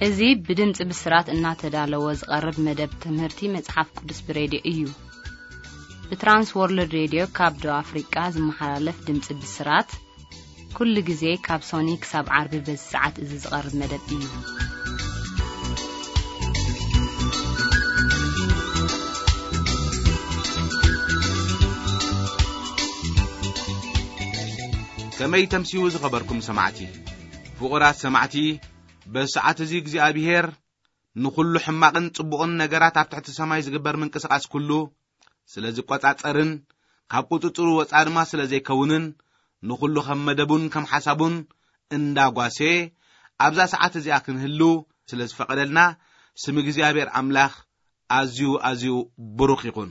እዚ ብድምፂ ብስራት እናተዳለወ ዝቐርብ መደብ ትምህርቲ መጽሓፍ ቅዱስ ብሬድዮ እዩ። ብትራንስ ወርልድ ሬድዮ ካብ ደቡብ ኣፍሪቃ ዝመሓላለፍ ድምፂ ብስራት፣ ኩሉ ግዜ ካብ ሶኒ ክሳብ ዓርቢ በዚ ሰዓት እዚ ዝቐርብ መደብ እዩ። ከመይ ተምስዩ ዝኸበርኩም ሰማዕቲ? ፍቑራት ሰማዕቲ፣ በዚ ሰዓት እዚ እግዚኣብሔር ንኹሉ ሕማቕን ጽቡቕን ነገራት ኣብ ትሕቲ ሰማይ ዝግበር ምንቅስቓስ ኩሉ ስለ ዝቆጻጸርን ካብ ቁጽጽሩ ወጻ ድማ ስለ ዘይከውንን፣ ንኹሉ ከም መደቡን ከም ሓሳቡን እንዳጓሴ ኣብዛ ሰዓት እዚኣ ክንህሉ ስለ ዝፈቐደልና፣ ስም እግዚኣብሔር ኣምላኽ ኣዝዩ ኣዝዩ ብሩኽ ይኹን።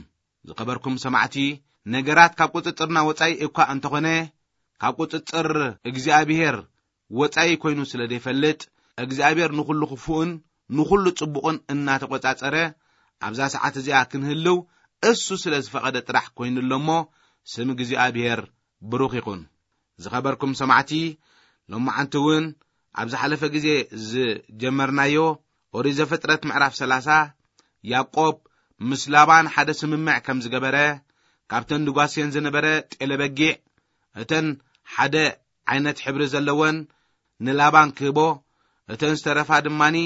ዝኸበርኩም ሰማዕቲ፣ ነገራት ካብ ቁጽጽርና ወጻኢ እኳ እንተኾነ፣ ካብ ቁጽጽር እግዚኣብሔር ወጻኢ ኮይኑ ስለ ዘይፈልጥ፣ እግዚኣብሔር ንኹሉ ክፉእን ንኹሉ ጽቡቕን እናተቆጻጸረ፣ ኣብዛ ሰዓት እዚኣ ክንህልው እሱ ስለ ዝፈቐደ ጥራሕ ኮይኑ ኣሎ እሞ፣ ስም እግዚኣብሔር ብሩኽ ይኹን። ዝኸበርኩም ሰማዕቲ፣ ሎማዓንቲ እውን ኣብ ዝሓለፈ ግዜ ዝጀመርናዮ ኦሪት ዘፍጥረት ምዕራፍ ሰላሳ፣ ያዕቆብ ምስ ላባን ሓደ ስምምዕ ከም ዝገበረ፣ ካብተን ድጓስየን ዝነበረ ጤለ በጊዕ፣ እተን ሓደ ዓይነት ሕብሪ ዘለወን ንላባን ክህቦ፣ እተን ዝተረፋ ድማኒ፣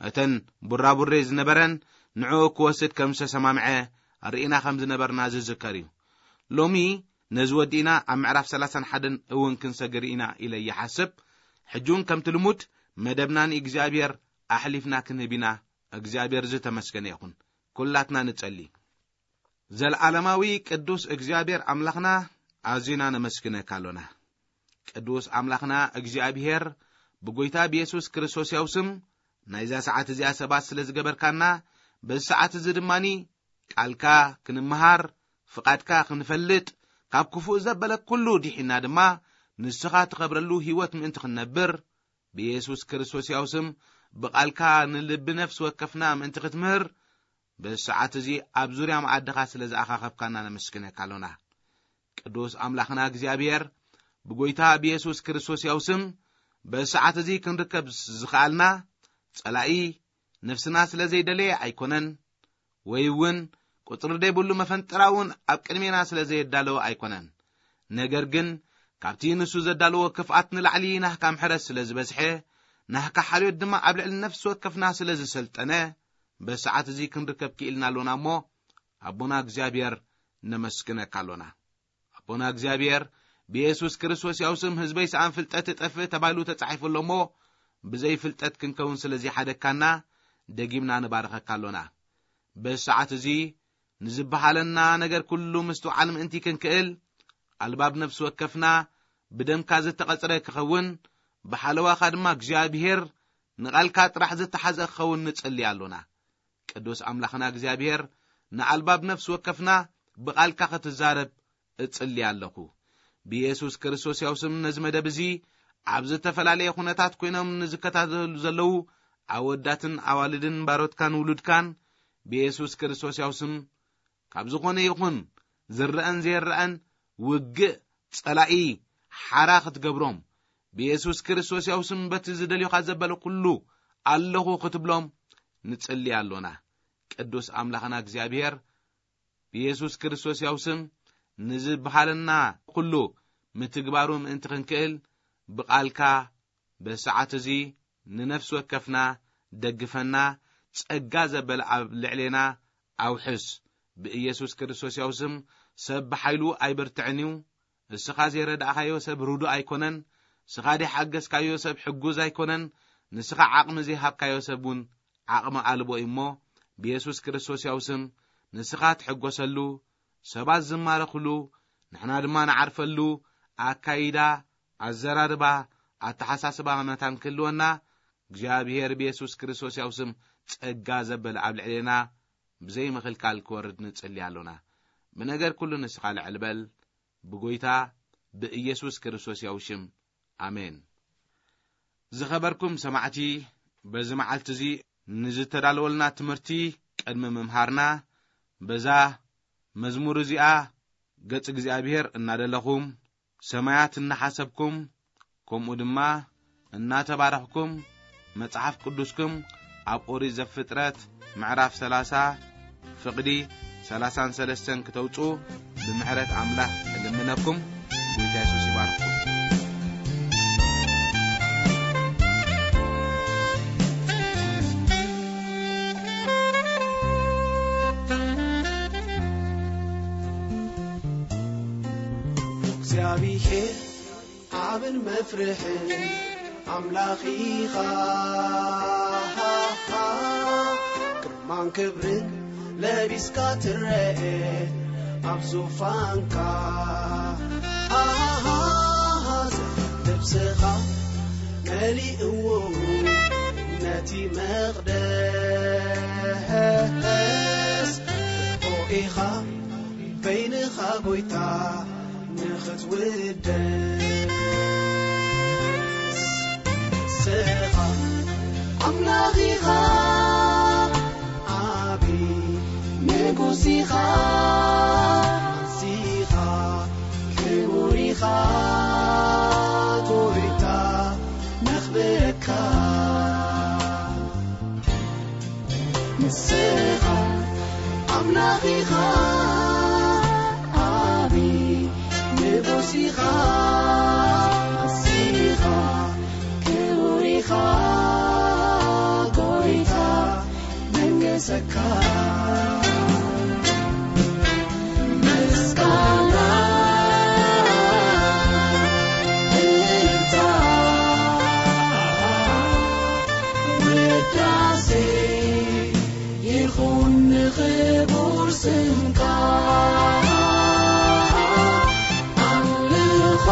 እተን ቡራቡሬ ዝነበረን ንዕኡ ክወስድ ከም ዝተሰማምዐ ርኢና ከም ዝነበርና ዝዝከር እዩ። ሎሚ ነዚ ወዲእና ኣብ ምዕራፍ ሰላሳን ሓደን እውን ክንሰግር ኢና ኢለ ይሓስብ። ሕጂ እውን ከምቲ ልሙድ መደብና ንእግዚኣብሔር ኣሕሊፍና ክንህብ ኢና። እግዚኣብሔር ዝተመስገነ ይኹን። ኩላትና ንጸሊ። ዘለዓለማዊ ቅዱስ እግዚኣብሔር ኣምላኽና፣ ኣዚና ነመስግነካ ኣሎና። ቅዱስ ኣምላኽና እግዚኣብሔር፣ ብጎይታ ብየሱስ ክርስቶስ ያው ስም ናይዛ ሰዓት እዚኣ ሰባት ስለ ዝገበርካና፣ በዚ ሰዓት እዚ ድማኒ ቃልካ ክንመሃር፣ ፍቓድካ ክንፈልጥ፣ ካብ ክፉእ ዘበለ ኩሉ ዲሒና ድማ ንስኻ ትኸብረሉ ህይወት ምእንቲ ክንነብር፣ ብየሱስ ክርስቶስ ያው ስም ብቓልካ ንልቢ ነፍሲ ወከፍና ምእንቲ ክትምህር፣ በዚ ሰዓት እዚ ኣብ ዙርያ መኣድኻ ስለ ዝኣኻኸብካና ነመስግነካ ኣሎና። ቅዱስ ኣምላኽና እግዚኣብሔር፣ ብጎይታ ብየሱስ ክርስቶስ ያው ስም በዚ ሰዓት እዚ ክንርከብ ዝኸኣልና፣ ጸላኢ ነፍስና ስለ ዘይደለየ ኣይኮነን፣ ወይ እውን ቁጽሪ ዘይብሉ መፈንጠራ እውን ኣብ ቅድሜና ስለ ዘየዳለወ ኣይኮነን። ነገር ግን ካብቲ ንሱ ዘዳለዎ ክፍኣት ንላዕሊ ናህካ ምሕረት ስለ ዝበዝሐ፣ ናህካ ሓልዮት ድማ ኣብ ልዕሊ ነፍሲ ወከፍና ስለ ዝሰልጠነ፣ በዚ ሰዓት እዚ ክንርከብ ክኢልና ኣሎና እሞ፣ ኣቦና እግዚኣብሔር ነመስግነካ ኣሎና። ኣቦና እግዚኣብሔር፣ ብየሱስ ክርስቶስ ያው ስም ህዝበይ ሰኣን ፍልጠት እጠፍእ ተባሂሉ ተጻሒፉ ኣሎ እሞ፣ ብዘይ ፍልጠት ክንከውን ስለ ዘይሓደግካና፣ ደጊምና ንባርኸካ ኣሎና። በዚ ሰዓት እዚ ንዝበሃለና ነገር ኩሉ ምስትውዓል ምእንቲ ክንክእል፣ ኣልባብ ነፍሲ ወከፍና ብደምካ ዝተቐጽረ ክኸውን፣ ብሓለዋኻ ድማ እግዚኣብሔር ንቓልካ ጥራሕ ዝተሓዘ ክኸውን ንጽሊ ኣሎና። ቅዱስ ኣምላኽና እግዚኣብሔር፣ ንኣልባብ ነፍሲ ወከፍና ብቓልካ ክትዛረብ እጽሊ ኣለኹ። ብየሱስ ክርስቶስ ያው ስም ነዚ መደብ እዚ ኣብ ዝተፈላለየ ኩነታት ኮይኖም ንዝከታተሉ ዘለዉ ኣወዳትን ኣዋልድን ባሮትካን ውሉድካን ብየሱስ ክርስቶስ ያው ስም ካብ ዝኾነ ይኹን ዝረአን ዘይረአን ውግእ ጸላኢ ሓራ ክትገብሮም፣ ብየሱስ ክርስቶስ ያው ስም በቲ ዝደልዮኻ ዘበለ ኩሉ ኣለኹ ክትብሎም ንጽሊ ኣሎና። ቅዱስ ኣምላኽና እግዚኣብሔር፣ ብየሱስ ክርስቶስ ያው ስም ንዝበሃለና ኩሉ ምትግባሩ ምእንቲ ክንክእል፣ ብቓልካ በሰዓት እዚ ንነፍሲ ወከፍና ደግፈና፣ ጸጋ ዘበለ ኣብ ልዕሌና ኣውሕስ። ብኢየሱስ ክርስቶስ ያው ስም ሰብ ብሓይሉ ኣይበርትዕን እዩ። እስኻ ዘይረዳእካዮ ሰብ ርዱእ ኣይኮነን። እስኻ ዘይሓገዝካዮ ሰብ ሕጉዝ ኣይኮነን። ንስኻ ዓቕሚ ዘይሃብካዮ ሰብ እውን ዓቕሚ ኣልቦ እዩ እሞ፣ ብየሱስ ክርስቶስ ያው ስም ንስኻ ትሕጎሰሉ፣ ሰባት ዝማረኽሉ፣ ንሕና ድማ ንዓርፈሉ ኣካይዳ፣ ኣዘራርባ፣ ኣተሓሳስባ መታን ክህልወና፣ እግዚኣብሔር ብየሱስ ክርስቶስ ያው ስም ጸጋ ዘበለ ኣብ ልዕሌና ብዘይ ምኽልካል ክወርድ ንጽሊ ኣሎና። ብነገር ኩሉ ንስኻ ልዕል በል፣ ብጎይታ ብኢየሱስ ክርስቶስ ያው ሽም፣ ኣሜን። ዝኸበርኩም ሰማዕቲ፣ በዚ መዓልቲ እዚ ንዝተዳለወልና ትምህርቲ ቅድሚ ምምሃርና፣ በዛ መዝሙር እዚኣ ገጽ እግዚኣብሔር እናደለኹም፣ ሰማያት እናሓሰብኩም፣ ከምኡ ድማ እናተባረኽኩም፣ መጽሓፍ ቅዱስኩም ኣብ ኦሪት ዘፍጥረት ምዕራፍ ሠላሳ ፍቕዲ ሠላሳን ሠለስተን ክተውጽኡ ብምሕረት ኣምላኽ እልምነኩም። ጐይታ የሱስ ይባርኽኩም። እግዚኣብሔር ዓብን መፍርሕን ኣምላኽ ኢኻ። ግርማን ክብርን ለቢስካ ትረኤ ኣብ ዙፋንካ። ልብስኻ መሊእዎ ነቲ መቕደስ። ኢኻ በይንኻ ጐይታ ንኽትውደስ። ንስኻ ኣምላኽ ኢኻ፣ ዓቢ ንጉስ ኢኻ፣ ንስኻ ክቡር ኢኻ፣ ጐይታ ነኽብረካ። ንስኻ ኣምላኽ ኢኻ፣ ዓቢ ንጉስ ኢኻ፣ ንስኻ ክቡር ኢኻ፣ ጐይታ መንገሰካ። ምስጋና እልልታ ውዳሴ ይኹን ንኽቡር ስምካ። ኣምልኾ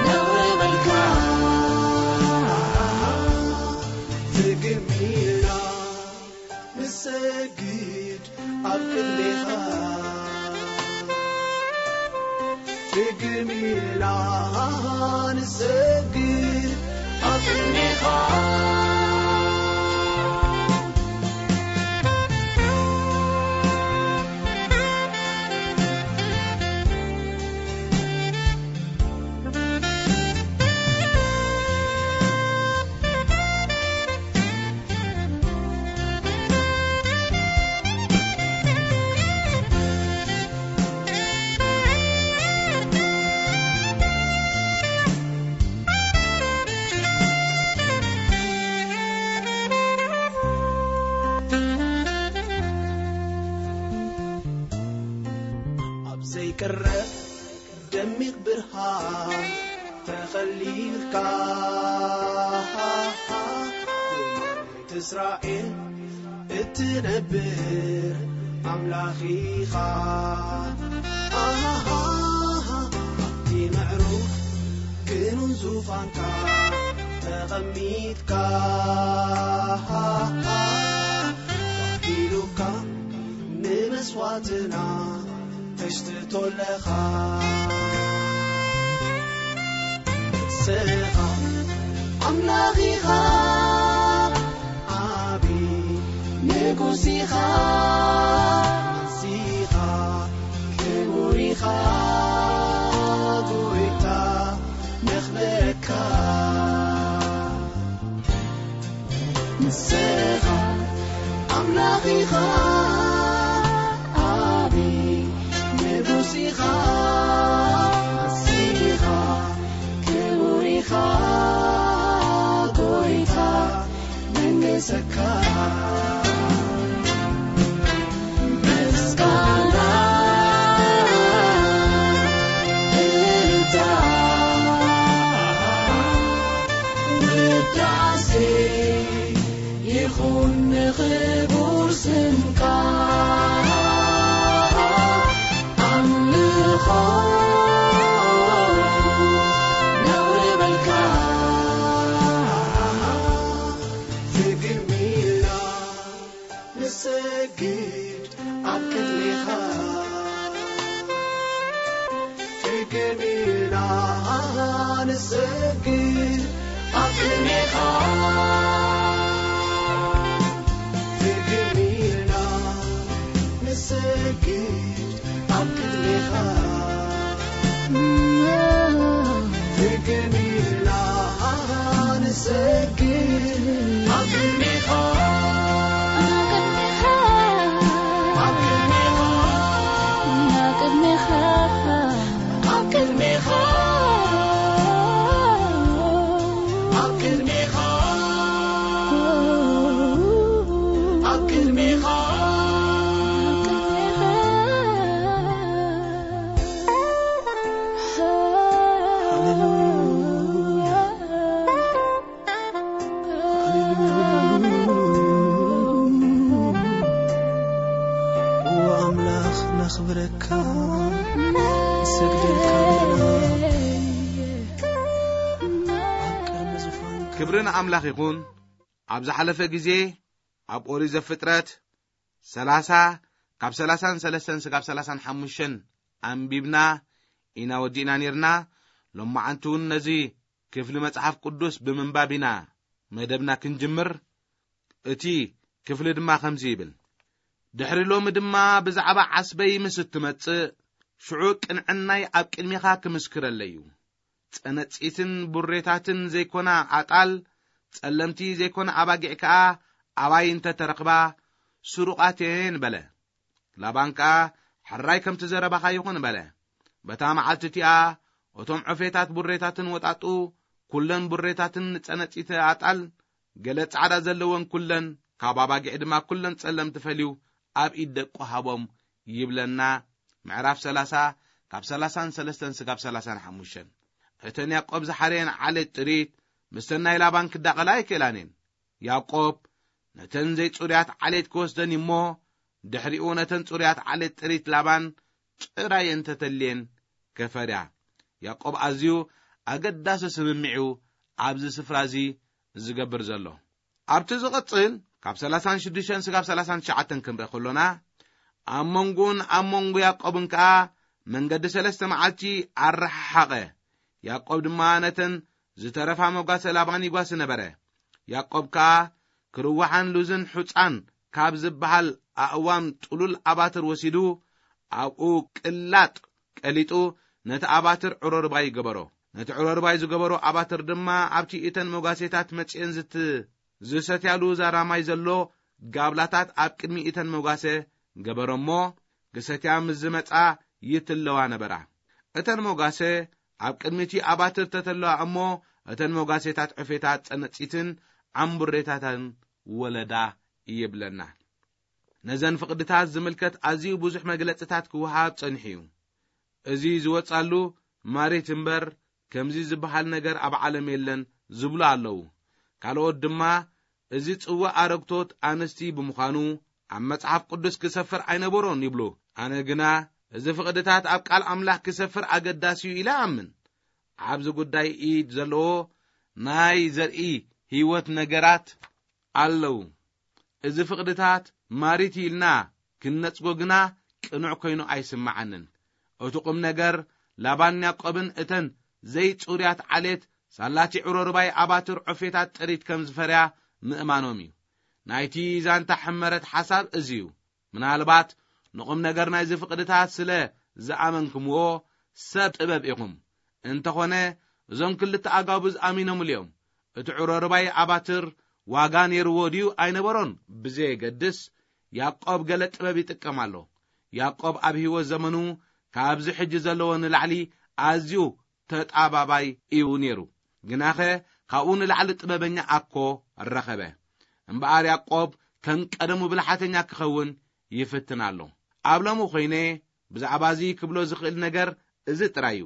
ነውሪ መልካ ትግሚና ንሰግድ ኣብ ቅድሜኻ። ትግሚና ንሰግድ ኣብ ቅድሜኻ። ኣብ ዘይቅረብ ደሚቕ ብርሃን ተኸሊልካ፣ ንመሬት እስራኤል እትነብር ኣምላኽ ኢኻ። ኣብቲ ምዕሩግ ክንውን ዙፋንካ ተቐሚጥካ፣ ኢሉካ ንመስዋዕትና ተሽትቶ ኣለኻ። ንስኻ ኣምላኽ ኢኻ፣ ዓቢ ንጉስ ኢኻ፣ ንስኻ ክቡር ኢኻ፣ ጐይታ ነኽብረካ። ንስኻ ኣምላኽ ኢኻ፣ ዓቢ ንጉስ ኢኻ፣ ንስኻ ክቡር ኢኻ፣ ጐይታ መንገሰካ። ምስጋና እልልታ ውዳሴ ይኹን ንኽቡር ስምካ። ኣምልኾ ነውሪ በልካ ትግርም ኢልና ንሰግድ ኣብ ቅድሜኻ። ትግርም ኢልና ንሰግድ ኣብ ቅድሜኻ። ትግርም ኢልና ንሰግድ ኣብ ቅድሜኻ። ትግርም ኢልና ክብሪ ንኣምላኽ ይኹን። ኣብ ዝሓለፈ ግዜ ኣብ ኦሪት ዘፍጥረት ሰላሳ ካብ ሰላሳን ሰለስተን ስጋብ ሰላሳን ሓሙሽተን ኣንቢብና ኢና ወዲእና ነርና። ሎማዓንቲ እውን ነዚ ክፍሊ መጽሓፍ ቅዱስ ብምንባብ ኢና መደብና ክንጅምር። እቲ ክፍሊ ድማ ከምዚ ይብል፣ ድሕሪ ሎሚ ድማ ብዛዕባ ዓስበይ ምስ እትመጽእ፣ ሽዑ ቅንዕናይ ኣብ ቅድሜኻ ክምስክረለይ እዩ። ጸነጺትን ቡሬታትን ዘይኮና ኣጣል፣ ጸለምቲ ዘይኮና ኣባጊዕ ከኣ ኣባይ እንተ ተረኽባ፣ ስሩቓት እየን በለ። ላባን ከኣ፣ ሕራይ ከምቲ ዘረባኻ ይኹን በለ። በታ መዓልቲ እቲኣ፣ እቶም ዑፌታት ቡሬታትን ወጣጡ፣ ኩለን ቡሬታትን ጸነጺተ ኣጣል፣ ገለ ጻዕዳ ዘለወን ኩለን፣ ካብ ኣባጊዕ ድማ ኩለን ጸለምቲ ፈልዩ ኣብ ኢድ ደቁ ሃቦም ይብለና። ምዕራፍ ሰላሳ ካብ ሰላሳን ሰለስተን ስጋብ ሰላሳን ሓሙሽተን። እተን ያዕቆብ ዝሓረየን ዓሌት ጥሪት፣ ምስተን ናይ ላባን ክዳቐላ ኣይክእላን እየን። ያዕቆብ ነተን ዘይጽሩያት ዓሌት ክወስደን እሞ፣ ድሕሪኡ ነተን ጽሩያት ዓሌት ጥሪት ላባን ጥራይ እንተተልየን ከፈርያ። ያዕቆብ ኣዝዩ ኣገዳሲ ስምምዕ እዩ ኣብዚ ስፍራ እዚ ዝገብር ዘሎ። ኣብቲ ዝቕጽል ካብ ሰላሳን ሽዱሽተን ስጋብ ሰላሳን ትሽዓተን ክንርኢ ከሎና፣ ኣብ መንጎኡን ኣብ መንጎ ያዕቆብን ከኣ መንገዲ ሰለስተ መዓልቲ ኣረሓሓቐ። ያዕቆብ ድማ ነተን ዝተረፋ መጓሰ ላባን ይጓሲ ነበረ። ያዕቆብ ከኣ ክርዋሓን ሉዝን ሑጻን ካብ ዝበሃል ኣእዋም ጥሉል ኣባትር ወሲዱ፣ ኣብኡ ቅላጥ ቀሊጡ ነቲ ኣባትር ዕሮርባይ ገበሮ። ነቲ ዕሮርባይ ዝገበሮ ኣባትር ድማ ኣብቲ እተን መጓሴታት መጺኤን ዝት-፣ ዝሰትያሉ ዛራ ማይ ዘሎ ጋብላታት ኣብ ቅድሚ እተን መጓሰ ገበሮ እሞ፣ ክሰትያ ምስ ዝመጻ ይትለዋ ነበራ። እተን መጓሰ ኣብ ቅድሚ እቲ ኣባትር ተተለዋ እሞ፣ እተን መጓሴታት ዕፌታት ጸነጺትን ዓምቡሬታትን ወለዳ ይብለና። ነዘን ፍቕድታት ዝምልከት ኣዝዩ ብዙሕ መግለጽታት ክወሃብ ጸኒሑ እዩ። እዚ ዝወጻሉ ማሪት እምበር፣ ከምዚ ዝበሃል ነገር ኣብ ዓለም የለን ዝብሉ ኣለዉ። ካልኦት ድማ፣ እዚ ጽዋእ ኣረግቶት ኣንስቲ ብምዃኑ፣ ኣብ መጽሓፍ ቅዱስ ክሰፍር ኣይነበሮን ይብሉ። ኣነ ግና፣ እዚ ፍቕድታት ኣብ ቃል ኣምላኽ ክሰፍር ኣገዳሲ እዩ ኢለ እኣምን። ኣብዚ ጉዳይ ኢድ ዘለዎ ናይ ዘርኢ ህይወት ነገራት ኣለዉ። እዚ ፍቕድታት ማሪት ኢልና ክንነጽጎ ግና ቅኑዕ ኮይኑ ኣይስምዓንን። እቲ ቁም ነገር፣ ላባን ያዕቆብን እተን ዘይጽሩያት ዓሌት ሳላቲ ዕሮርባይ ኣባትር ዑፌታት ጥሪት ከም ዝፈርያ ምእማኖም እዩ። ናይቲ ዛንታ ሕመረት ሓሳብ እዚ እዩ። ምናልባት ንቑም ነገር ናይዚ ፍቕድታት ስለ ዝኣመንኩምዎ ሰብ ጥበብ ኢኹም። እንተኾነ፣ እዞም ክልተ ኣጋቡዝ ኣሚኖምሉ እዮም። እቲ ዕሮርባይ ኣባትር ዋጋ ነይርዎ ድዩ ኣይነበሮን ብዘየገድስ፣ ያዕቆብ ገለ ጥበብ ይጥቀም ኣሎ። ያዕቆብ ኣብ ህይወት ዘመኑ ካብዚ ሕጂ ዘለዎ ንላዕሊ ኣዝዩ ተጣባባይ እዩ ነይሩ። ግናኸ፣ ካብኡ ንላዕሊ ጥበበኛ ኣኮ ረኸበ። እምበኣር፣ ያዕቆብ ከም ቀደሙ ብልሓተኛ ክኸውን ይፍትን ኣሎ። ኣብ ሎሚ ኮይነ ብዛዕባ እዚ ክብሎ ዝኽእል ነገር እዚ ጥራይ እዩ።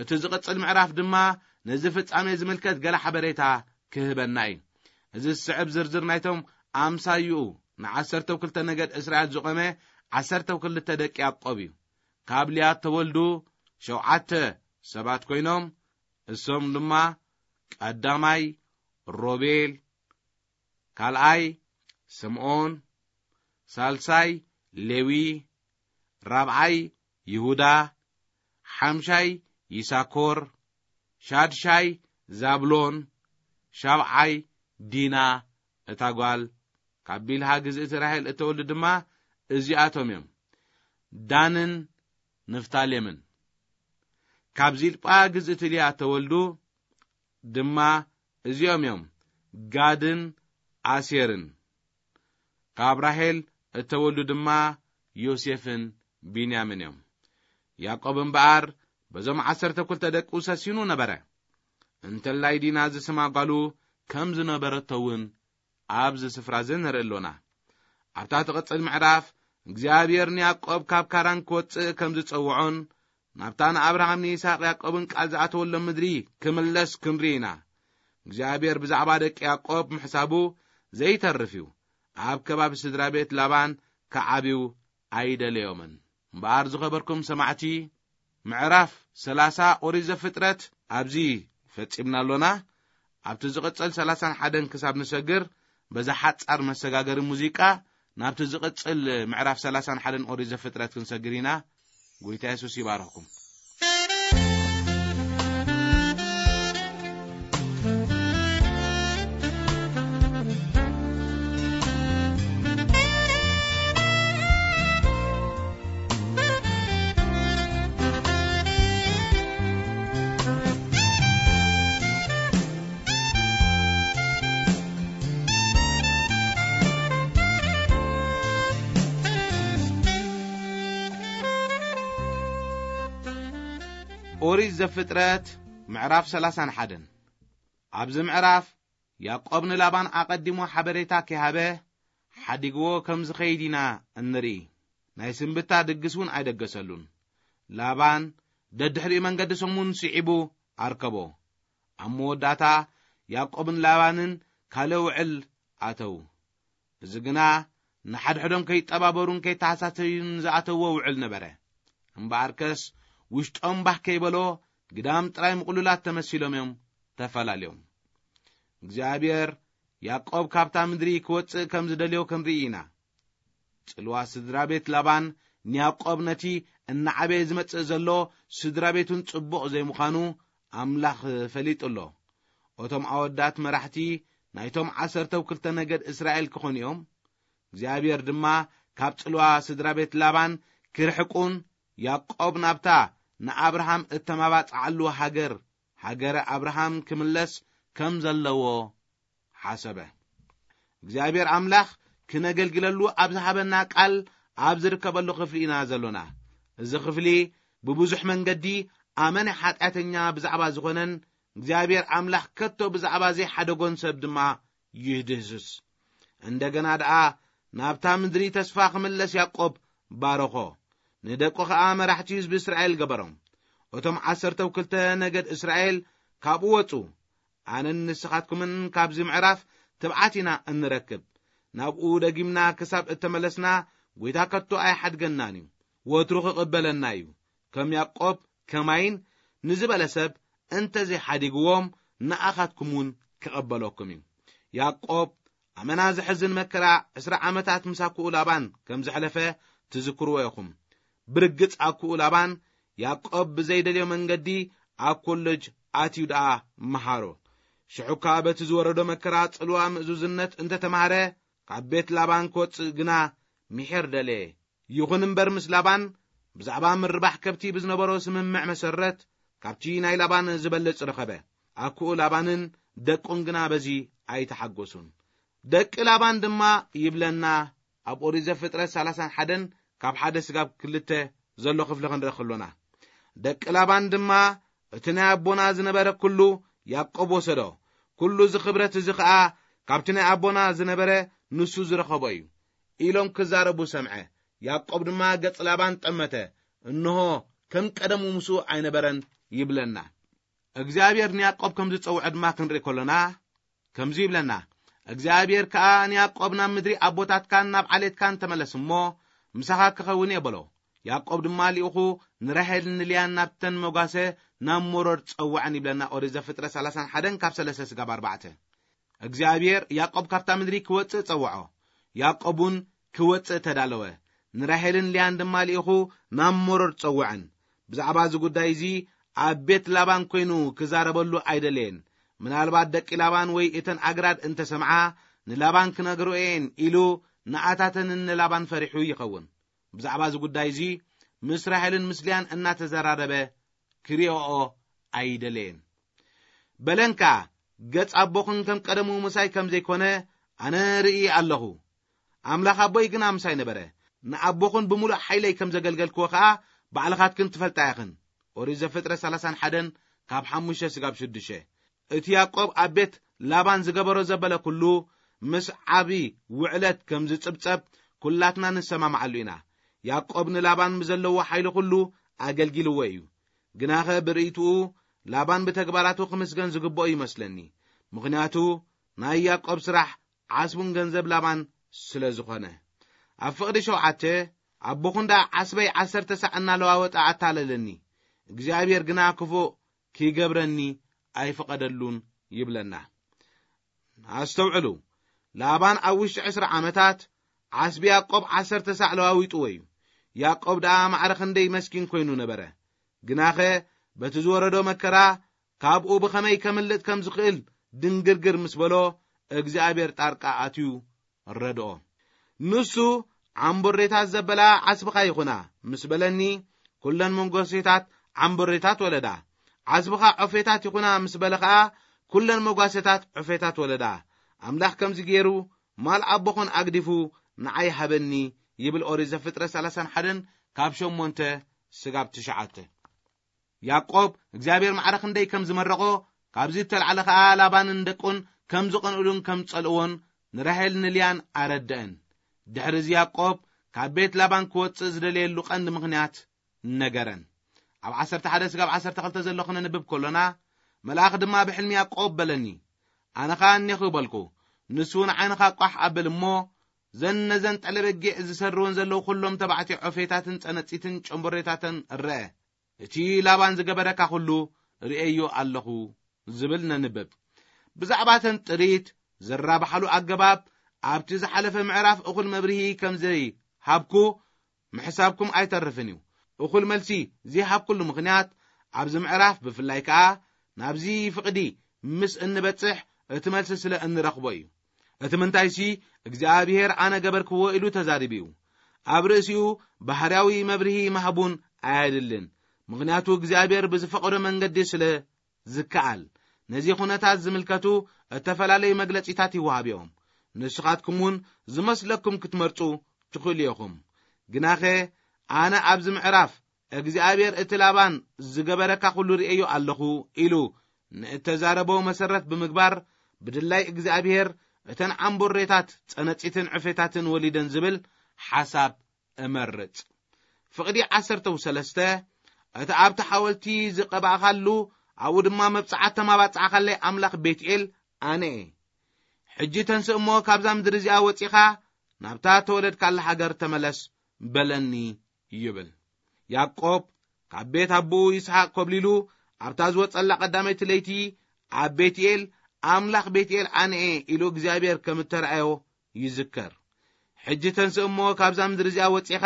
እቲ ዝቕጽል ምዕራፍ ድማ ነዚ ፍጻሜ ዝምልከት ገለ ሓበሬታ ክህበና እዩ። እዚ ዝስዕብ ዝርዝር ናይቶም ኣምሳይኡ ንዓሰርተው ክልተ ነገድ እስራኤል ዝቖመ ዓሰርተው ክልተ ደቂ ያዕቆብ እዩ። ካብ ልያ እተወልዱ ሸውዓተ ሰባት ኮይኖም፣ እሶም ድማ ቀዳማይ ሮቤል፣ ካልኣይ ስምዖን፣ ሳልሳይ ሌዊ፣ ራብዓይ ይሁዳ፣ ሓምሻይ ይሳኮር፣ ሻድሻይ ዛብሎን፣ ሻብዓይ ዲና እታ ጓል ካብ ቢልሃ ግዝእቲ ራሄል እተወልዱ ድማ እዚኣቶም እዮም፣ ዳንን ንፍታሌምን። ካብ ዚልጳ ግዝእቲ ልያ እተወልዱ ድማ እዚኦም እዮም፣ ጋድን ኣሴርን። ካብ ራሄል እተወልዱ ድማ ዮሴፍን ቢንያምን እዮም። ያዕቆብ እምበኣር በዞም ዓሰርተ ክልተ ደቁ ሰሲኑ ነበረ። እንተላይ ዲና ዝስማ ጓሉ ከም ዝነበረቶ እውን ኣብዚ ስፍራ እዚ ንርኢ ኣሎና። ኣብታ ትቕጽል ምዕራፍ፣ እግዚኣብሔር ንያዕቆብ ካብ ካራን ክወጽእ ከም ዝጸውዖን፣ ናብታ ንኣብርሃም፣ ንይስሐቅ፣ ያዕቆብን ቃል ዝኣተወሎም ምድሪ ክምለስ ክንርኢ ኢና። እግዚኣብሔር ብዛዕባ ደቂ ያዕቆብ ምሕሳቡ ዘይተርፍ እዩ። ኣብ ከባቢ ስድራ ቤት ላባን ክዓብዩ ኣይደለዮምን። እምበኣር ዝኸበርኩም ሰማዕቲ፣ ምዕራፍ ሰላሳ ኦሪት ዘፍጥረት ኣብዚ ፈጺምና ኣሎና። ኣብቲ ዝቕጽል ሰላሳን ሓደን ክሳብ ንሰግር፣ በዛ ሓጻር መሰጋገሪ ሙዚቃ ናብቲ ዝቕጽል ምዕራፍ ሰላሳን ሓደን ኦሪት ዘፍጥረት ክንሰግር ኢና። ጎይታ የሱስ ይባርኽኩም። ኦሪት ዘፍጥረት ምዕራፍ ሰላሳን ሓደን። ኣብዚ ምዕራፍ ያዕቆብ ንላባን ኣቐዲሙ ሓበሬታ ከይሃበ ሓዲግዎ ከም ዝኸይድ ኢና እንርኢ። ናይ ስንብታ ድግስ እውን ኣይደገሰሉን። ላባን ደድሕሪኡ መንገዲ ሰሙን ስዒቡ ኣርከቦ። ኣብ መወዳእታ ያዕቆብን ላባንን ካልእ ውዕል ኣተዉ። እዚ ግና ንሓድሕዶም ከይጠባበሩን ከይተሓሳሰዩን ዝኣተውዎ ውዕል ነበረ። እምበኣርከስ ውሽጦም ባህ ከይበሎ ግዳም ጥራይ ምቕሉላት ተመሲሎም እዮም ተፈላለዮም። እግዚኣብሔር ያዕቆብ ካብታ ምድሪ ክወጽእ ከም ዝደልዮ ክንርኢ ኢና። ጽልዋ ስድራ ቤት ላባን ንያዕቆብ ነቲ እናዓበየ ዝመጽእ ዘሎ ስድራ ቤቱን ጽቡቕ ዘይምዃኑ ኣምላኽ ፈሊጡ ኣሎ። እቶም ኣወዳት መራሕቲ ናይቶም ዓሰርተው ክልተ ነገድ እስራኤል ክኾኑ እዮም። እግዚኣብሔር ድማ ካብ ጽልዋ ስድራ ቤት ላባን ክርሕቁን ያዕቆብ ናብታ ንኣብርሃም እተማባጽዓሉ ሃገር፣ ሃገረ ኣብርሃም ክምለስ ከም ዘለዎ ሓሰበ። እግዚኣብሔር ኣምላኽ ክነገልግለሉ ኣብ ዝሃበና ቃል ኣብ ዝርከበሉ ክፍሊ ኢና ዘሎና። እዚ ክፍሊ ብብዙሕ መንገዲ ኣመነ ሓጢኣተኛ ብዛዕባ ዝኾነን እግዚኣብሔር ኣምላኽ ከቶ ብዛዕባ ዘይሓደጎን ሰብ ድማ ይድህስስ። እንደገና ደኣ ናብታ ምድሪ ተስፋ ክምለስ ያዕቆብ ባረኾ። ንደቁ ኸኣ መራሕቲ ህዝቢ እስራኤል ገበሮም። እቶም ዓሰርተው ክልተ ነገድ እስራኤል ካብኡ ወጹ። ኣነን ንስኻትኩምን ካብዚ ምዕራፍ ትብዓት ኢና እንረክብ። ናብኡ ደጊምና ክሳብ እተመለስና፣ ጐይታ ከቶ ኣይሓድገናን እዩ። ወትሩ ክቕበለና እዩ። ከም ያዕቆብ ከማይን ንዝበለ ሰብ እንተ ዘይሓዲግዎም፣ ንኣኻትኩም እውን ክቐበለኩም እዩ። ያዕቆብ ኣመና ዘሕዝን መከራ ዕስራ ዓመታት ምስ ኣኩኡ ላባን ከም ዘሕለፈ ትዝክርዎ ኢኹም። ብርግጽ ኣኩኡ ላባን ያዕቆብ ብዘይደልዮ መንገዲ ኣብ ኮለጅ ኣትዩ ደኣ መሃሮ። ሽዑ እኳ በቲ ዝወረዶ መከራ ጽልዋ ምእዙዝነት እንተ ተማህረ፣ ካብ ቤት ላባን ክወጽእ ግና ምሒር ደለየ። ይኹን እምበር ምስ ላባን ብዛዕባ ምርባሕ ከብቲ ብዝነበሮ ስምምዕ መሰረት፣ ካብቲ ናይ ላባን ዝበልጽ ረኸበ። ኣኩኡ ላባንን ደቁን ግና በዚ ኣይተሓጎሱን። ደቂ ላባን ድማ ይብለና፣ ኣብ ኦሪት ዘፍጥረት ሰላሳን ሓደን ካብ ሓደ ስጋብ ክልተ ዘሎ ክፍሊ ክንርኢ ከሎና፣ ደቂ ላባን ድማ እቲ ናይ ኣቦና ዝነበረ ኩሉ ያዕቆብ ወሰዶ፣ ኩሉ እዚ ክብረት እዚ ኸኣ ካብቲ ናይ ኣቦና ዝነበረ ንሱ ዝረኸቦ እዩ ኢሎም ክዛረቡ ሰምዐ። ያዕቆብ ድማ ገጽ ላባን ጠመተ፣ እንሆ ከም ቀደሙ ምስኡ ኣይነበረን ይብለና። እግዚኣብሔር ንያዕቆብ ከም ዝጸውዐ ድማ ክንርኢ ከሎና፣ ከምዚ ይብለና፣ እግዚኣብሔር ከኣ ንያዕቆብ ናብ ምድሪ ኣቦታትካን ናብ ዓሌትካን ተመለስ እሞ፣ ምሳኻ ክኸውን እየ በሎ። ያዕቆብ ድማ ልኢኹ ንራሄልን ንልያን ናብተን መጓሰ ናብ ሞሮር ጸውዐን ይብለና። ኦሪት ዘፍጥረት ሰላሳን ሓደን ካብ ሰለስተ ስጋብ ኣርባዕተ። እግዚኣብሔር ያዕቆብ ካብታ ምድሪ ክወጽእ ጸውዖ። ያዕቆብ እውን ክወጽእ ተዳለወ። ንራሄልን ልያን ድማ ልኢኹ ናብ ሞሮር ጸውዐን። ብዛዕባ እዚ ጉዳይ እዚ ኣብ ቤት ላባን ኮይኑ ክዛረበሉ ኣይደለየን። ምናልባት ደቂ ላባን ወይ እተን ኣግራድ እንተ ሰምዓ፣ ንላባን ክነግርኦ እየን ኢሉ ንኣታተንን ንላባን ፈሪሑ ይኸውን። ብዛዕባ እዚ ጉዳይ እዚ ምስ ራሄልን ምስ ልያን እናተዘራረበ ክሪኦኦ ኣይደለየን። በለን ከኣ፣ ገጽ ኣቦኹን ከም ቀደሙ ምሳይ ከም ዘይኮነ ኣነ ርኢ ኣለኹ። ኣምላኽ ኣቦይ ግና ምሳይ ነበረ። ንኣቦኹን ብምሉእ ሓይለይ ከም ዘገልገልክዎ ከኣ ባዕልኻትክን ትፈልጣ ኢኽን። ኦሪት ዘፍጥረት ሰላሳን ሓደን ካብ ሓሙሽተ ስጋብ ሽዱሽተ። እቲ ያዕቆብ ኣብ ቤት ላባን ዝገበሮ ዘበለ ኩሉ ምስ ዓቢ ውዕለት ከም ዝጽብጸብ ኩላትና ንሰማማዓሉ ኢና። ያዕቆብ ንላባን ብዘለዎ ሓይሊ ኩሉ ኣገልጊልዎ እዩ። ግናኸ ብርእይትኡ ላባን ብተግባራቱ ክምስገን ዝግብኦ ይመስለኒ። ምኽንያቱ ናይ ያዕቆብ ስራሕ ዓስቡን ገንዘብ ላባን ስለ ዝኾነ። ኣብ ፍቕዲ ሸውዓተ፣ ኣቦኹን ደኣ ዓስበይ ዓሰርተ ሳዕ እናለዋወጠ ኣታለለኒ። እግዚኣብሔር ግና ክፉእ ኪገብረኒ ኣይፈቐደሉን ይብለና። ኣስተውዕሉ፣ ላባን ኣብ ውሽጢ ዕስራ ዓመታት ዓስቢ ያዕቆብ ዓሰርተ ሳዕ ለዋዊጥዎ እዩ። ያዕቆብ ደኣ ማዕረ ክንደይ መስኪን ኮይኑ ነበረ። ግናኸ በቲ ዝወረዶ መከራ ካብኡ ብኸመይ ከምልጥ ከም ዝኽእል ድንግርግር ምስ በሎ እግዚኣብሔር ጣርቃ ኣትዩ ረድኦ። ንሱ ዓምቦሬታት ዘበላ ዓስብኻ ይኹና ምስ በለኒ፣ ኩለን መጓሴታት ዓምቦሬታት ወለዳ። ዓስብኻ ዖፌታት ይኹና ምስ በለ ኸኣ፣ ኩለን መጓሴታት ዖፌታት ወለዳ። ኣምላኽ ከምዚ ገይሩ ማል ኣቦኹን ኣግዲፉ ንዓይ ሃበኒ ይብል ኦሪት ዘፍጥረት ሰላሳን ሓደን ካብ ሸሞንተ ስጋብ ትሽዓተ። ያዕቆብ እግዚኣብሔር ማዕረ ክንደይ ከም ዝመረቖ፣ ካብዚ እተላዕለ ኸኣ ላባንን ደቁን ከም ዝቐንኡሉን ከም ዝጸልእዎን ንራሄል ንልያን ኣረድአን። ድሕሪ እዚ ያዕቆብ ካብ ቤት ላባን ክወጽእ ዝደለየሉ ቀንዲ ምኽንያት ነገረን። ኣብ ዓሰርተ ሓደ ስጋብ ዓሰርተ ክልተ ዘሎ ክነንብብ ከሎና፣ መልኣኽ ድማ ብሕልሚ ያዕቆብ በለኒ። ኣነ ኸኣ እኔኹ በልኩ። ንሱ ንዓይንኻ ቋሕ ኣብል እሞ፣ ዘን ነዘን ጠለበጊዕ ዝሰርወን ዘለዉ ኩሎም ተባዕትዮ ዖፌታትን ጸነጺትን ጨምቦሬታተን ርአ። እቲ ላባን ዝገበረካ ኩሉ ርእየዮ ኣለኹ ዝብል ነንብብ። ብዛዕባ ተን ጥሪት ዝራባሓሉ ኣገባብ ኣብቲ ዝሓለፈ ምዕራፍ እኹል መብርሂ ከም ዘይሃብኩ ምሕሳብኩም ኣይተርፍን እዩ። እኹል መልሲ ዘይሃብኩሉ ምኽንያት ኣብዚ ምዕራፍ ብፍላይ ከኣ ናብዚ ፍቕዲ ምስ እንበጽሕ እቲ መልሲ ስለ እንረኽቦ እዩ። እቲ ምንታይሲ እግዚኣብሔር ኣነ ገበርክዎ ኢሉ ተዛሪቡ እዩ። ኣብ ርእሲኡ ባህርያዊ መብርሂ ምሃቡን ኣየድልን። ምኽንያቱ እግዚኣብሔር ብዝፈቐዶ መንገዲ ስለ ዝከኣል፣ ነዚ ኩነታት ዝምልከቱ እተፈላለዩ መግለጺታት ይወሃብ እዮም። ንስኻትኩም እውን ዝመስለኩም ክትመርጹ ትኽእሉ ኢኹም። ግናኸ ኣነ ኣብዚ ምዕራፍ እግዚኣብሔር እቲ ላባን ዝገበረካ ኩሉ ርእዮ ኣለኹ ኢሉ ንእተዛረቦ መሰረት ብምግባር፣ ብድላይ እግዚኣብሔር እተን ዓምቦሬታት ጸነጺትን ዕፌታትን ወሊደን ዝብል ሓሳብ እመርጽ። ፍቕዲ ዓሰርተ ሰለስተ፣ እቲ ኣብቲ ሓወልቲ ዝቐባእኻሉ፣ ኣብኡ ድማ መብጽዓ ተማባጽዓኻለይ ኣምላኽ ቤትኤል ኣነ እየ። ሕጂ ተንስእ እሞ ካብዛ ምድሪ እዚኣ ወጺኻ ናብታ ተወለድካላ ሃገር ተመለስ በለኒ ይብል። ያዕቆብ ካብ ቤት ኣቦኡ ይስሓቅ ኮብሊሉ ኣብታ ዝወጸላ ቀዳመይቲ ለይቲ ኣብ ቤትኤል ኣምላኽ ቤትኤል ኣነ እየ ኢሉ እግዚኣብሔር ከም እተረኣዮ ይዝከር። ሕጂ ተንስእ እሞ ካብዛ ምድሪ እዚኣ ወጺኻ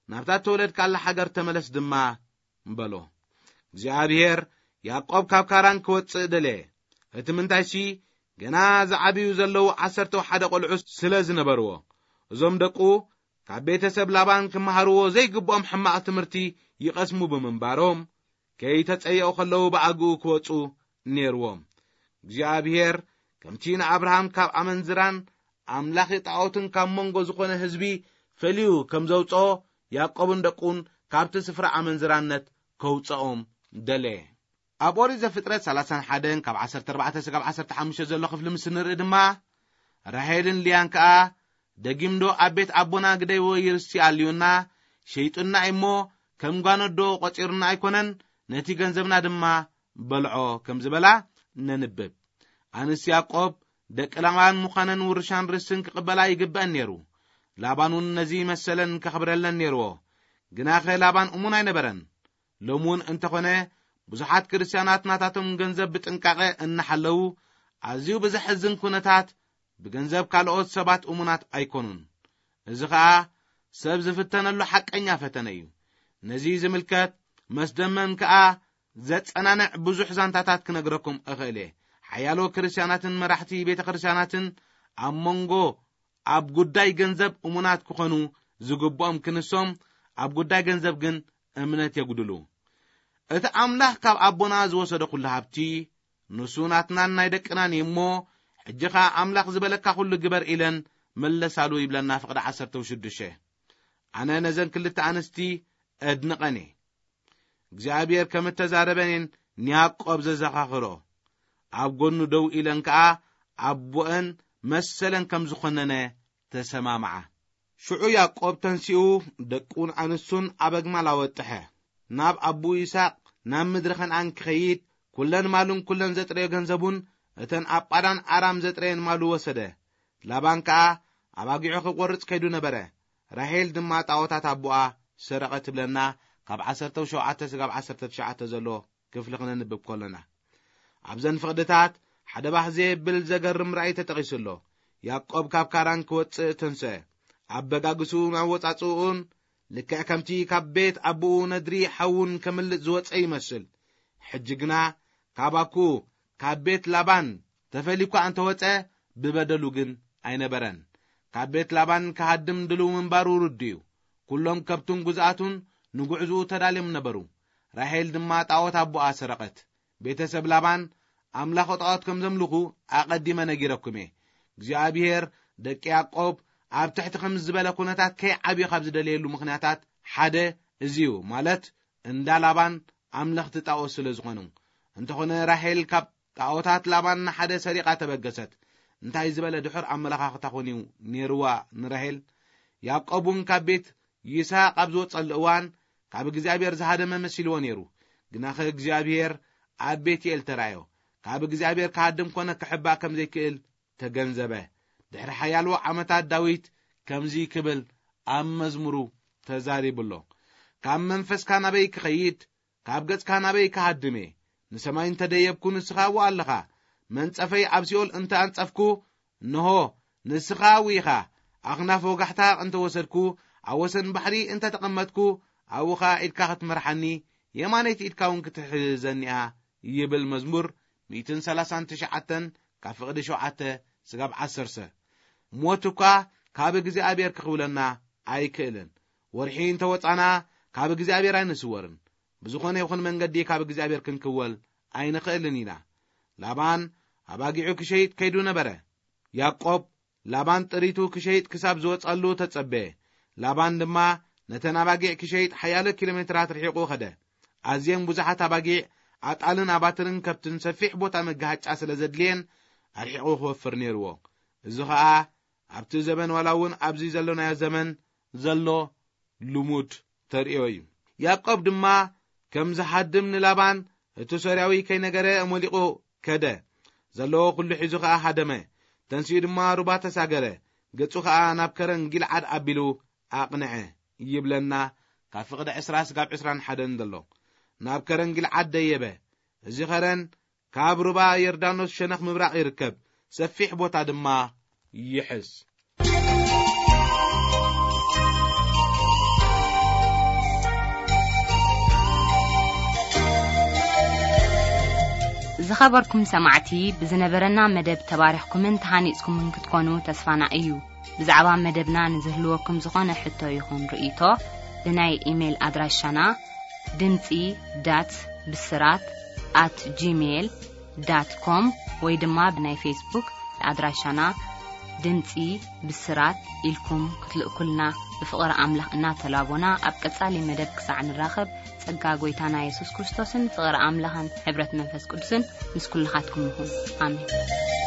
ናብታ እተወለድካላ ሃገር ተመለስ ድማ በሎ። እግዚኣብሔር ያዕቆብ ካብ ካራን ክወጽእ ደለየ። እቲ ምንታይሲ ገና ዝዓብዩ ዘለዉ ዓሰርተ ሓደ ቆልዑ ስለ ዝነበርዎ፣ እዞም ደቁ ካብ ቤተሰብ ላባን ክመሃርዎ ዘይግብኦም ሕማቕ ትምህርቲ ይቐስሙ ብምንባሮም፣ ከይተጸየቑ ከለዉ ብኣግኡ ክወጹ ነይርዎም። እግዚኣብሔር ከምቲ ንኣብርሃም ካብ ኣመንዝራን ኣምላኺ ጣዖትን ካብ መንጎ ዝኾነ ህዝቢ ፈልዩ ከም ዘውጽኦ፣ ያዕቆብን ደቁን ካብቲ ስፍራ ኣመንዝራነት ከውጽኦም ደለየ። ኣብ ኦሪት ዘፍጥረት ሰላሳን ሓደን ካብ ዓሰርተ ኣርባዕተ ስጋብ ዓሰርተ ሓሙሽተ ዘሎ ክፍሊ ምስ ንርኢ ድማ፣ ራሄልን ልያን ከኣ፣ ደጊምዶ ኣብ ቤት ኣቦና ግደይዎ ይርስቲ ኣልዩና፣ ሸይጡና እሞ ከም ጓኖዶ ቆጺሩና ኣይኮነን፣ ነቲ ገንዘብና ድማ በልዖ ከም ዝበላ ነንብብ። ኣንስ ያዕቆብ ደቂ ላባን ምዃነን ውርሻን ርስትን ክቕበላ ይግበአን ነይሩ። ላባን እውን ነዚ መሰለን ከኽብረለን ነይርዎ። ግናኸ ላባን እሙን ኣይነበረን። ሎሚ እውን እንተኾነ ብዙሓት ክርስትያናት ናታቶም ገንዘብ ብጥንቃቐ እናሓለዉ ኣዝዩ ብዘሕዝን ኩነታት ብገንዘብ ካልኦት ሰባት እሙናት ኣይኮኑን። እዚ ኸኣ ሰብ ዝፍተነሉ ሓቀኛ ፈተነ እዩ። ነዚ ዝምልከት መስደመም ከኣ ዘጸናንዕ ብዙሕ ዛንታታት ክነግረኩም እኽእል እየ። ሓያሎ ክርስትያናትን መራሕቲ ቤተ ክርስትያናትን ኣብ መንጎ ኣብ ጉዳይ ገንዘብ እሙናት ክኾኑ ዝግብኦም ክንሶም፣ ኣብ ጉዳይ ገንዘብ ግን እምነት የጉድሉ። እቲ ኣምላኽ ካብ ኣቦና ዝወሰዶ ኩሉ ሃብቲ ንሱ ናትናን ናይ ደቅናን እዩ እሞ፣ ሕጂ ኸኣ ኣምላኽ ዝበለካ ኩሉ ግበር ኢለን መለሳሉ ይብለና ፍቕዲ ዓሰርተ ሽዱሽተ። ኣነ ነዘን ክልተ ኣንስቲ እድንቐን እየ። እግዚኣብሔር ከም እተዛረበንን ንያዕቆብ ዘዘኻኽሮ፣ ኣብ ጎኑ ደው ኢለን ከኣ ኣቦአን መሰለን ከም ዝኾነነ ተሰማምዓ። ሽዑ ያዕቆብ ተንሲኡ ደቁን ኣንስቱን ኣብ ኣግማል ኣወጥሐ። ናብ ኣቦኡ ይስሐቅ ናብ ምድሪ ከነኣን ክኸይድ ኩለን ማሉን ኩለን ዘጥረዮ ገንዘቡን እተን ኣብ ጳዳን ኣራም ዘጥረየን ማሉ ወሰደ። ላባን ከኣ ኣባጊዑ ክቆርጽ ከይዱ ነበረ። ራሄል ድማ ጣዖታት ኣቦኣ ሰረቐ ትብለና ካብ ዓሰርተ ሸውዓተ ስጋብ ዓሰርተ ትሽዓተ ዘሎ ክፍሊ ክነንብብ ከሎና፣ ኣብዘን ፍቕድታት ሓደ ባህ ዘየብል ዘገርም ራእይ ተጠቒሱ ኣሎ። ያዕቆብ ካብ ካራን ክወጽእ ተንስአ። ኣበጋግስኡን ኣወጻጽኡን ልክዕ ከምቲ ካብ ቤት ኣቦኡ ነድሪ ሓውን ከምልጥ ዝወጸ ይመስል። ሕጂ ግና ካብ ኣኩ ካብ ቤት ላባን ተፈልዩ እኳ እንተወጸ፣ ብበደሉ ግን ኣይነበረን። ካብ ቤት ላባን ክሃድም ድልው ምንባሩ ርዱእ እዩ። ኩሎም ከብቱን ግዝኣቱን ንጉዕዝኡ ተዳልዮም ነበሩ። ራሄል ድማ ጣዖት ኣቦኣ ሰረቐት። ቤተሰብ ላባን ኣምላኽ ጣዖት ከም ዘምልኹ ኣቐዲመ ነጊረኩም እየ። እግዚኣብሔር ደቂ ያዕቆብ ኣብ ትሕቲ ከም ዝበለ ኩነታት ከይዓብዩ ካብ ዝደለየሉ ምኽንያታት ሓደ እዚ እዩ፣ ማለት እንዳ ላባን ኣምለኽቲ ጣዖት ስለ ዝኾኑ። እንተኾነ ራሄል ካብ ጣዖታት ላባን ንሓደ ሰሪቓ ተበገሰት። እንታይ ዝበለ ድሑር ኣመለኻኽታ ኾን እዩ ነይርዋ ንራሄል? ያዕቆብ እውን ካብ ቤት ይስሐቅ ኣብ ዝወጸሉ እዋን ካብ እግዚኣብሔር ዝሃደመ መሲልዎ ነይሩ። ግናኸ እግዚኣብሔር ኣብ ቤትኤል ተራእዮ። ካብ እግዚኣብሔር ክሃድም ኮነ ክሕባእ ከም ዘይክእል ተገንዘበ። ድሕሪ ሓያሎ ዓመታት ዳዊት ከምዚ ክብል ኣብ መዝሙሩ ተዛሪቡ ኣሎ። ካብ መንፈስካ ናበይ ክኸይድ? ካብ ገጽካ ናበይ ክሃድም እየ? ንሰማይ እንተ ደየብኩ ንስኻ ኣብኡ ኣለኻ። መንጸፈይ ኣብ ሲኦል እንተ ኣንጸፍኩ፣ እንሆ ንስኻ ኣብኡ ኢኻ። ኣኽናፍ ወጋሕታ እንተ ወሰድኩ፣ ኣብ ወሰን ባሕሪ እንተ ተቐመጥኩ፣ ኣብኡ ኸኣ ኢድካ ክትመርሓኒ፣ የማነይቲ ኢድካ እውን ክትሕዘኒ እያ ይብል መዝሙር ሚእትን ሰላሳን ትሽዓተን ካብ ፍቕዲ ሸውዓተ ስጋብ ዓሰርተ። ሞት እኳ ካብ እግዚኣብሔር ክኽውለና ኣይክእልን። ወርሒ እንተ ወጻና ካብ እግዚኣብሔር ኣይንስወርን። ብዝኾነ ይኹን መንገዲ ካብ እግዚኣብሔር ክንክወል ኣይንኽእልን ኢና። ላባን ኣባጊዑ ክሸይጥ ከይዱ ነበረ። ያዕቆብ ላባን ጥሪቱ ክሸይጥ ክሳብ ዝወጻሉ ተጸበየ። ላባን ድማ ነተን ኣባጊዕ ክሸይጥ ሓያሎ ኪሎ ሜትራት ርሒቑ ኸደ። ኣዝየን ብዙሓት ኣባጊዕ፣ ኣጣልን ኣባትርን ከብትን ሰፊሕ ቦታ መጋሃጫ ስለ ዘድልየን ኣርሒቑ ክወፍር ነይርዎ። እዚ ኸኣ ኣብቲ ዘበን ዋላ እውን ኣብዚ ዘሎናዮ ዘመን ዘሎ ልሙድ ተርእዮ እዩ። ያዕቆብ ድማ ከም ዝሃድም ንላባን እቲ ሶርያዊ ከይነገረ ሞሊቑ ከደ። ዘለዎ ኩሉ ሒዙ ኸኣ ሃደመ። ተንሲኡ ድማ ሩባ ተሳገረ። ገጹ ኸኣ ናብ ከረን ጊልዓድ ኣቢሉ ኣቕንዐ ይብለና። ካብ ፍቕዲ ዕስራ ስጋብ ዕስራን ሓደን ዘሎ። ናብ ከረን ጊልዓድ ደየበ። እዚ ኸረን ካብ ሩባ ዮርዳኖስ ሸነኽ ምብራቕ ይርከብ። ሰፊሕ ቦታ ድማ ይሕዝ። ዝኸበርኩም ሰማዕቲ፣ ብዝነበረና መደብ ተባሪኽኩምን ተሃኒጽኩምን ክትኮኑ ተስፋና እዩ። ብዛዕባ መደብና ንዝህልወኩም ዝኾነ ሕቶ ይኹን ርእይቶ፣ ብናይ ኢሜይል ኣድራሻና ድምጺ ዳት ብስራት ኣት ጂሜይል ዳት ኮም ወይ ድማ ብናይ ፌስቡክ ኣድራሻና ድምጺ ብስራት ኢልኩም ክትልእኩልና ብፍቕሪ ኣምላኽ እናተላቦና፣ ኣብ ቀጻሊ መደብ ክሳዕ ንራኸብ፣ ጸጋ ጐይታና የሱስ ክርስቶስን ፍቕሪ ኣምላኽን ሕብረት መንፈስ ቅዱስን ምስ ኩልኻትኩም ይኹን። ኣሜን።